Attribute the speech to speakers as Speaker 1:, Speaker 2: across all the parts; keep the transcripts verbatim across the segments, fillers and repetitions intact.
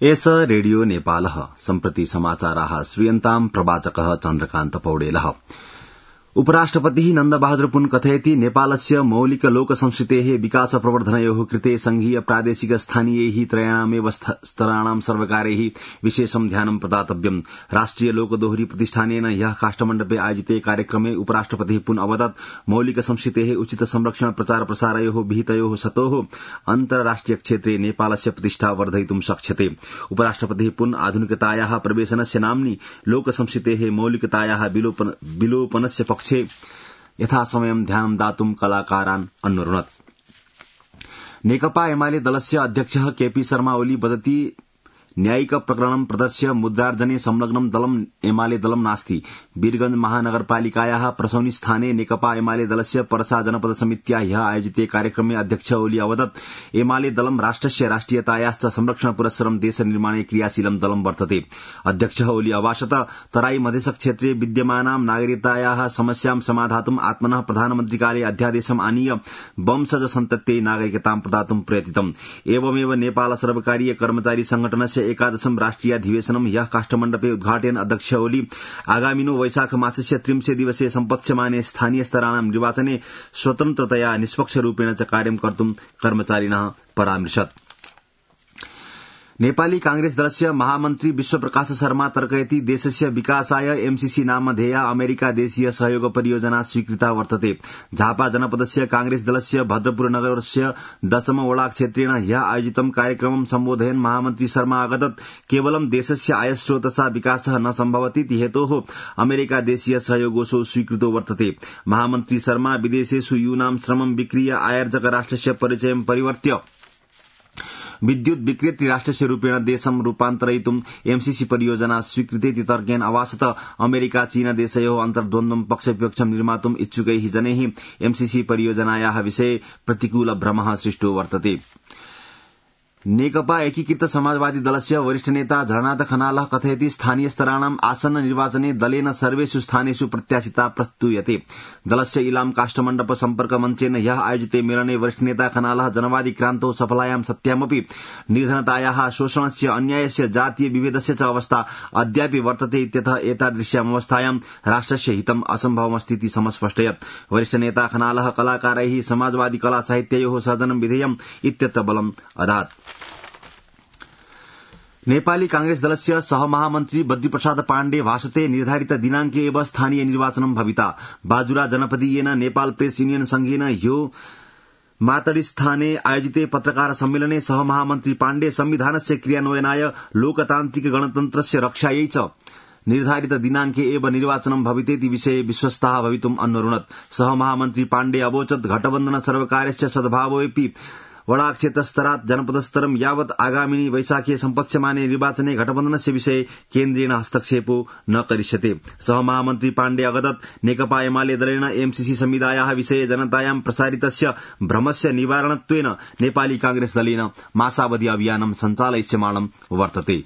Speaker 1: एष रेडियो नेपालः सम्प्रति समाचाराः श्रूयन्ताम् प्रवाचकः चन्द्रकान्त पौडेलः। उपराष्ट्रपतिः नन्दबहादुर पुन कथयति नेपालस्य मौलिक लोक संस्कृतेः विकास प्रवर्धनयोः कृते संघीय प्रादेशिक स्थानीयैः त्रयाणामेव स्तराणां सर्वकारैः विशेषं ध्यानं प्रदातव्यम्। राष्ट्रिय लोकदोहरी प्रतिष्ठानेन ह्यः काष्ठमण्डपे आयोजिते कार्यक्रमे उपराष्ट्रपतिः पुन अवदत् मौलिक संस्कृतेः उचित संरक्षण प्रचार प्रसारयोः विहितयोः सतोः अन्तर्राष्ट्रिय क्षेत्रे नेपालस्य प्रतिष्ठा वर्धयितुं शक्ष्यते। उपराष्ट्रपतिः पुन आधुनिकतायाः प्रवेशनस्य नाम्नि लोक संस्कृतेः मौलिकतायाः विलोपनस्य पक्षे यथासमयं ध्यानं दातुं कलाकारान् अन्वरुणत्। नेकपा एमाले दलस्य अध्यक्षः केपी शर्मा ओली वदति न्यायिक प्रकरणं प्रदर्श्य मुद्रार्जने संलग्नं दलम् एमाले दलं नास्ति। वीरगंज महानगरपालिकायाः प्रसौनी स्थाने नेकपा एमाले दलस्य पर्सा जनपद समित्या ह्यः आयोजिते कार्यक्रमे अध्यक्ष ओली अवदत् एमाले दलं राष्ट्रस्य राष्ट्रियतायाश्च संरक्षण पुरस्सरं देश निर्माणे क्रियाशीलं दलं वर्तते। अध्यक्षः ओली अभाषत तराई मधेश क्षेत्रे विद्यमानां नागरिकतायाः समस्यां समाधातुं आत्मनः प्रधानमन्त्रिकाले अध्यादेशम् आनीय वंशज सन्तत्यै नागरिकतां प्रदातुं प्रयतितम्। एवमेव नेपाल सर्वकारीय कर्मचारी संगठनस्य एकादशम राष्ट्रियाधिवेशनं ह्यः काष्ठमण्डपे उद्घाटयन् अध्यक्ष ओली आगामिनो वैशाख मासस्य त्रिंशे दिवसे सम्पत्स्यमाने स्थानीय स्तराणां निर्वाचने स्वतन्त्रतया निष्पक्षरूपेण च कार्यं कर्तुं कर्मचारिणः परामृशत्। नेपाली कांग्रेस दलस्य महामन्त्री विश्वप्रकाश शर्मा तर्कयति देशस्य विकासाय एमसीसी नामधेया अमेरिका देशीय सहयोग परियोजना स्वीकृता वर्तते। झापा जनपदस्य कांग्रेस दलस्य भद्रपुर नगरस्य दशम वडा क्षेत्रेण ह्यः आयोजितं कार्यक्रमं सम्बोधयन् महामन्त्री शर्मा अवदत् केवलं देशस्य आयस्रोतसा विकासः न सम्भवतीति हेतोः अमेरिका देशीय सहयोगोऽसौ स्वीकृतो वर्तते। महामन्त्री शर्मा विदेशेषु यूनां श्रमं विक्रीय आयोजक राष्ट्रस्य परिचयं परिवर्त्य विद्युत विक्रेत्री राष्ट्रस्य रूपेण देशं रूपान्तरयितुं एमसीसी परियोजना स्वीकृतेति तर्केण अभाषत अमेरिका चीन देशयोः अन्तर्द्वन्द्वं पक्षविपक्षं निर्मातुम् इच्छुकैः जनैः एमसीसी परियोजनायाः विषये प्रतिकूल भ्रमः सृष्टो वर्तते। नेकपा एकीकृत समाजवादी दलस्य वरिष्ठ नेता झरनाथ खनालः कथयति स्थानीय स्तराणाम् आसन्न निर्वाचने दलेन सर्वेषु स्थानेषु प्रत्याशिता प्रस्तूयते। दलस्य इलाम काष्ठमण्डप सम्पर्क मञ्चेन ह्यः आयोजिते मेलने वरिष्ठ नेता खनालः जनवादी क्रान्तौ सफलायां सत्यामपि निर्धनतायाः शोषणस्य अन्यायस्य जातीय विभेदस्य च अवस्था अद्यापि वर्तते इत्यतः एतादृश्याम् अवस्थायां राष्ट्रस्य हितम् असम्भवमस्तीति समस्पष्टयत्। वरिष्ठ नेता खनालः कलाकारैः समाजवादी कला साहित्ययोः सर्जनं विधेयम् इत्यत्र बलम् अदात्। नेपाली कांग्रेस दलस्य सहमहामन्त्री बद्रीप्रसाद पाण्डे भाषते निर्धारित दिनांके एव स्थानीय निर्वाचनं भविता। बाजुरा जनपदीयेन नेपाल प्रेस युनियन संघेन ह्यो मातडिस्थाने आयोजिते पत्रकार सम्मेलने सहमहामन्त्री पाण्डे संविधानस्य क्रियान्वयनाय लोकतान्त्रिक गणतन्त्रस्य रक्षायै च निर्धारित दिनांके एव निर्वाचनं भवितेति विषये विश्वस्ताः भवितुम् अन्वरुणत्। सहमहामन्त्री पाण्डे अवोचत् घटबन्धन सर्वकारस्य सद्भावोऽपि वडा क्षेत्रस्तरात् जनपदस्तरं यावत् आगामिनी वैशाखे सम्पत्स्यमाने निर्वाचने घटबन्धनस्य विषये केन्द्रेण हस्तक्षेपो न करिष्यते। सहमहामन्त्री पाण्डे अवदत् नेकपा एमाले दलेन एमसीसी संविधायाः विषये जनतायां प्रसारितस्य भ्रमस्य निवारणत्वेन नेपाली कांग्रेस दलेन मासावधि अभियानं सञ्चालयिष्यमाणं वर्तते।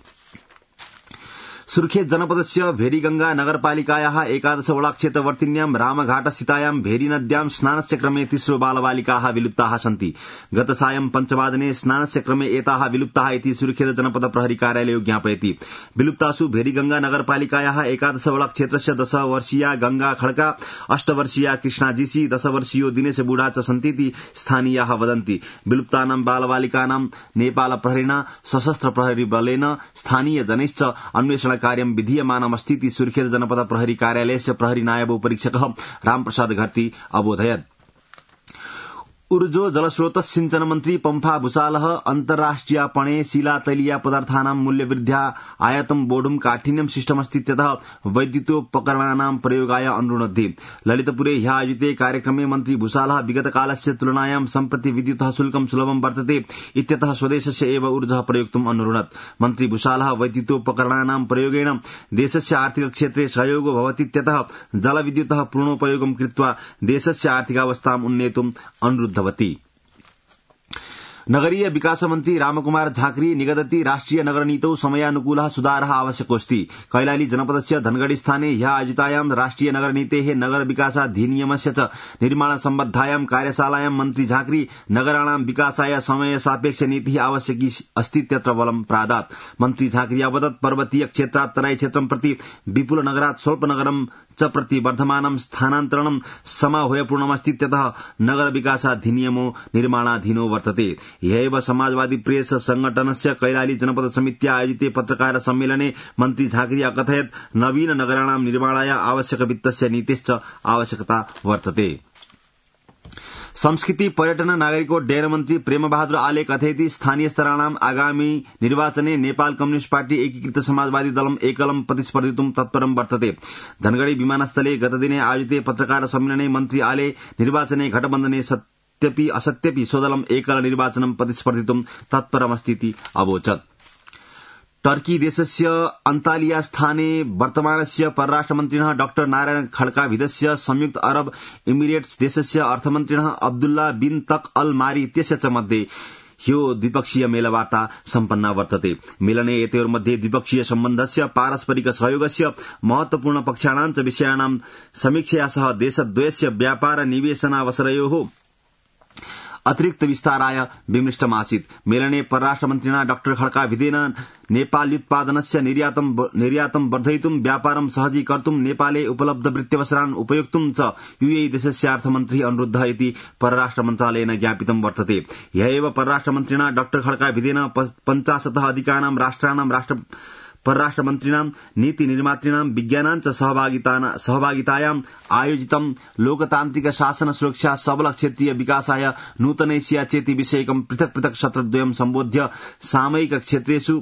Speaker 1: सुर्खेत जनपदस्य भेरीगंगा नगरपालिकायाः एकादश वडा क्षेत्रवर्तिन्यां रामघाटस्थितायां भेरी नद्यां स्नानस्य क्रमे तिस्रो बालबालिकाः विलुप्ताः सन्ति। गत सायं पञ्चवादने स्नानस्य क्रमे एताः विलुप्ताः इति सुर्खेत जनपद प्रहरी कार्यालयो ज्ञापयति। विलुप्तासु भेरीगंगा नगरपालिकायाः एकादश वडा क्षेत्रस्य दश वर्षीया गंगा खड्का, अष्ट वर्षीया कृष्णा जीसी, दश वर्षीयो दिनेश बुढा च सन्तीति स्थानीयाः वदन्ति। विलुप्तानां बालबालिकानां नेपाल प्रहरिणा सशस्त्र प्रहरी बलेन स्थानीय जनैश्च अन्वेषण कार्यं विधीयमानमस्तीति सुर्खेत जनपद प्रहरी कार्यालयस्य प्रहरी नायब उपरीक्षकः रामप्रसाद घरती अबोधयत्। ऊर्जो जलस्रोत सिंचन मन्त्री पम्फा भूषालः अन्तर्राष्ट्रियपणे शिलातैलीय पदार्थानां मूल्यवृद्ध्या आयातं बोढुं काठिन्यं सृष्टमस्तीत्यतः वैद्युतोपकरणानां प्रयोगाय अनुरुणद्धि। ललितपुरे ह्यः आयोजिते कार्यक्रमे मन्त्री भूषालः विगतकालस्य तुलनायां सम्प्रति विद्युतः शुल्कं सुलभं वर्तते इत्यतः स्वदेशस्य एव ऊर्जः प्रयोक्तुम् अनुरुणत्। मन्त्री भूषालः वैद्युतोपकरणानां प्रयोगेण देशस्य आर्थिक क्षेत्रे सहयोगो भवतीत्यतः जलविद्युतः पूर्णोपयोगं कृत्वा देशस्य आर्थिकावस्थाम् उन्नेतुम् अनुरुद्ध। नगरीय विकास मन्त्री रामकुमार झाँक्री निगदति राष्ट्रिय नगरनीतौ समयानुकूलः सुधारः आवश्यकोऽस्ति। कैलाली जनपदस्य धनगढ़ी स्थाने ह्यः आयोजितायां राष्ट्रिय नगरनीतेः नगर विकासाधिनियमस्य च निर्माण सम्बद्धायां कार्यशालायां मन्त्री झाँक्री नगराणां विकासाय समय सापेक्ष नीतिः आवश्यकी अस्ति त्यत्र बलं प्रादात्। मन्त्री झाँक्री अवदत् पर्वतीय क्षेत्रात् तराई क्षेत्रं प्रति विपुल नगरात् स्वल्प नगरं च प्रति वर्धमानं स्थानान्तरणं समाह्वयपूर्णमस्ति त्यतः नगर विकासाधिनियमो निर्माणाधीनो वर्तते। ह्यैव समाजवादी प्रेस संगठनस्य कैलाली जनपद समित्या आयोजिते पत्रकार सम्मेलने मन्त्री झाँक्री अकथयत् नवीन नगराणां निर्माणाय आवश्यक वित्तस्य नीतिश्च आवश्यकता वर्तते। संस्कृति पर्यटन नागरिकोड्डयन मन्त्री प्रेमबहादुर आले कथयति स्थानीय स्तराणां आगामी निर्वाचने नेपाल कम्युनिष्ट पार्टी एकीकृत समाजवादी दलम् एकलं प्रतिस्पर्धितुं तत्परं वर्तते। धनगढ़ी विमानस्थले गतदिने आयोजिते पत्रकार सम्मेलने मन्त्री आले निर्वाचने घटबन्धने सत्यपि असत्यपि स्वदलम् एकल निर्वाचनं प्रतिस्पर्धितुं तत्परमस्तीति अवोचत्। टर्की देशस्य अन्तालिया स्थाने वर्तमानस्य परराष्ट्रमन्त्रिणः डाक्टर नारायण खड्काभिदस्य संयुक्त अरब इमिरेट्स देशस्य अर्थमन्त्रिणः अब्दुल्ला बिन तक अल मारी इत्यस्य च मध्ये ह्यो द्विपक्षीय मेलवार्ता सम्पन्ना वर्तते। मेलने एतयोर्मध्ये द्विपक्षीय सम्बन्धस्य पारस्परिक सहयोगस्य महत्वपूर्ण पक्षाणां च विषयाणां समीक्षया सह देशद्वयस्य व्यापार निवेशनावसरयोः अतिरिक्त विस्ताराय विमृष्टमासीत्। मेलने परराष्ट्रमन्त्रिणा डाक्टर खड्काभिदेन नेपाल्युत्पादनस्य निर्यातं निर्यातं वर्धयितुं व्यापारं सहजीकर्तुं नेपाले उपलब्ध वृत्त्यवसरान् उपयोक्तुं च यूएई देशस्य अर्थमन्त्री अनुरुद्धः इति परराष्ट्र मन्त्रालयेन ज्ञापितं वर्तते। ह्यैव परराष्ट्रमन्त्रिणा डाक्टर खड्काभिदेन पञ्चाशतः अधिकानां राष्ट्राणां राष्ट्र परराष्ट्रमन्त्रिणां नीति निर्मातृणां विज्ञानां च सहभागितायाम् आयोजितं लोकतान्त्रिक शासन सुरक्षा सबल क्षेत्रीय विकासाय नूतनैस्या चेति विषयकं पृथक् पृथक् सत्रद्वयं सम्बोध्य सामयिक क्षेत्रेषु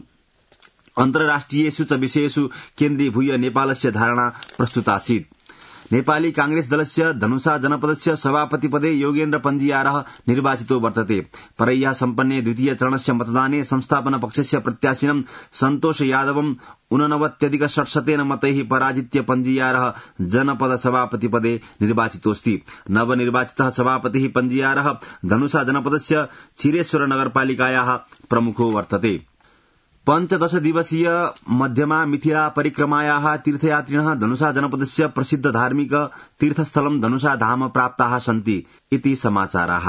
Speaker 1: अन्तर्राष्ट्रियेषु च विषयेषु केन्द्रीभूय नेपालस्य धारणा प्रस्तुतासीत्। नेपाली कांग्रेस दलस्य धनुषा जनपदस्य सभापतिपदे योगेन्द्र पञ्जियारः निर्वाचितो वर्तते। परय्या सम्पन्ने द्वितीय चरणस्य मतदाने संस्थापन पक्षस्य प्रत्याशिनं सन्तोष यादवम् ऊननवत्यधिक षट्शतेन मतैः पराजित्य पञ्जियारः जनपद सभापतिपदे निर्वाचितोऽस्ति। नवनिर्वाचितः सभापतिः पञ्जियारः धनुषा जनपदस्य छिरेश्वर नगरपालिकायाः प्रमुखो वर्तते। पञ्चदश दिवसीय मध्यमा मिथिला परिक्रमायाः तीर्थयात्रिणः धनुषा जनपदस्य प्रसिद्ध धार्मिक तीर्थस्थलं धनुषा धाम प्राप्ताः सन्ति इति समाचाराः।